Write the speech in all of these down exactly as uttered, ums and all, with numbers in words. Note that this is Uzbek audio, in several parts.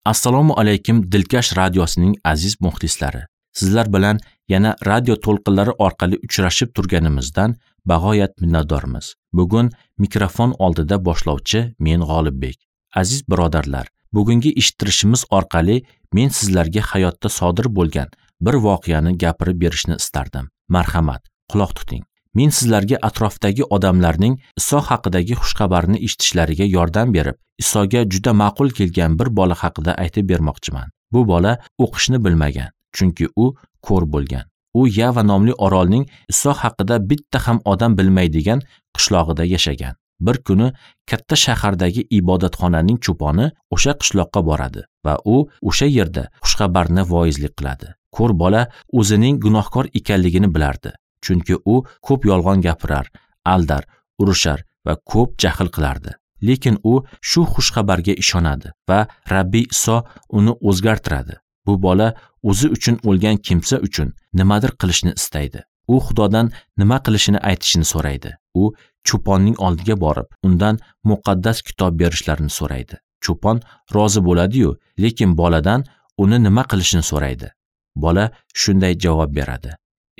Assalomu alaykum Dilkash radiosining aziz muxlislari. Sizlar bilan yana radio to'lqinlari orqali uchrashib turganimizdan bag'oyat minnatdormiz. Bugun mikrofon oldida boshlovchi men G'olibbek. Aziz birodarlar, bugungi eshittirishimiz orqali men sizlarga hayotda sodir bo'lgan bir voqeani gapirib berishni istardim. Marhamat, quloq tuting. Men sizlarga atrofdagi odamlarning Iso haqidagi xushxabarni eshitishlariga yordam berib, Isoga juda ma'qul kelgan bir bola haqida aytib bermoqchiman. Bu bola o'qishni bilmagan, chunki u ko'r bo'lgan. U Yava nomli orolning Iso haqida bitta ham odam bilmaydigan qishlog'ida yashagan. Bir kuni katta shahardagi ibodatxonaning cho'poni o'sha qishloqqa boradi va u o'sha yerda xushxabarni voizlik qiladi. Ko'r bola o'zining gunohkor ekanligini bilardi, chunki u ko'p yolg'on gapirar, aldar, urushar va ko'p jahl qilardi. Lekin u shu xushxabarga ishonadi va Rabbiy Iso uni o'zgartiradi. Bu bola o'zi uchun o'lgan kimsa uchun nimadir qilishni istaydi. U Xudodan nima qilishini aytishini so'raydi. U cho'ponning oldiga borib, undan muqaddas kitob berishlarini so'raydi. Cho'pon rozi bo'ladi-yu, lekin boladan uni nima qilishini so'raydi. Bola shunday javob beradi: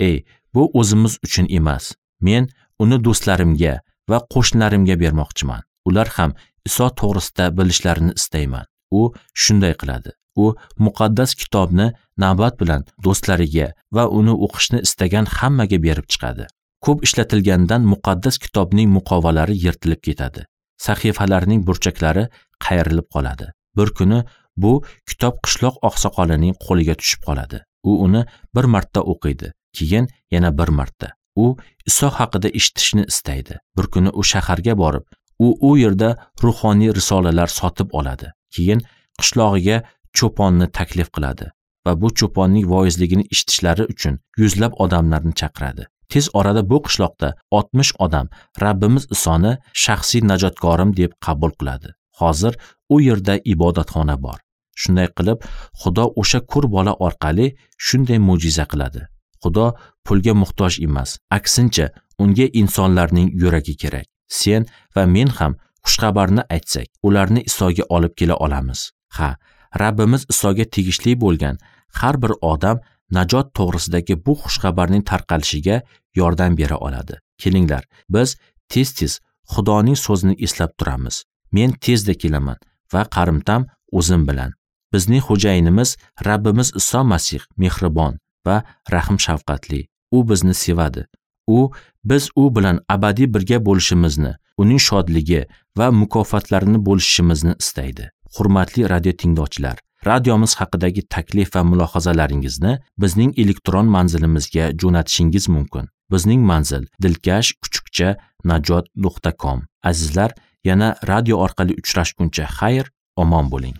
"Ey, bu o'zimiz uchun emas. Men uni do'stlarimga va qo'shnilarimga bermoqchiman. Ular ham Iso to'g'risida bilishlarini istayman." U shunday qiladi. U muqaddas kitobni navbat bilan do'stlariga va uni o'qishni istagan hammaga berib chiqadi. Ko'p ishlatilgandan muqaddas kitobning muqovalari yirtilib ketadi. Sahifalarning burchaklari qayrilib qoladi. Bir kuni bu kitob qishloq oqsoqolining qo'liga tushib qoladi. U uni bir marta o'qiydi, keyin yana bir marta. U Iso haqida eshitishni istaydi. Bir kuni u shaharga borib, u u yerda ruhoniy risolalar sotib oladi. Keyin qishlog'iga cho'ponni taklif qiladi va bu cho'ponning voizligini eshitishlari uchun yuzlab odamlarni chaqiradi. Tez orada bu qishloqda oltmish odam Rabbimiz Isoni shaxsiy najotkorim deb qabul qiladi. Hozir u yerda ibodatxona bor. Shunday qilib, Xudo o'sha ko'r bola orqali shunday mo'jiza qiladi. Xudo pulga muhtoj emas, aksincha unga insonlarning yuragi kerak. Sen va men ham xushxabarni aytsak, ularni Isoga olib kela olamiz. Ha, Rabbimiz Isoga tegishli bo'lgan har bir odam najot to'g'risidagi bu xushxabarning tarqalishiga yordam bera oladi. Kelinglar, biz tez-tez Xudoning so'zini eslab turamiz. Men tezda kelaman va qarimtam o'zim bilan. Bizning xo'jayinimiz Rabbimiz Iso Masih mehribon va rahm-shafqatli. U bizni sevadi. U biz u bilan abadiy birga bo'lishimizni, uning shodligi va mukofotlarini bo'lishimizni istaydi. Hurmatli radio tinglovchilar, radiomiz haqidagi taklif va mulohazalaringizni bizning elektron manzilimizga jo'natishingiz mumkin. Bizning manzil dilkash kuchukcha najot nuqta com. Azizlar, yana radio orqali uchrashguncha xayr, omon bo'ling.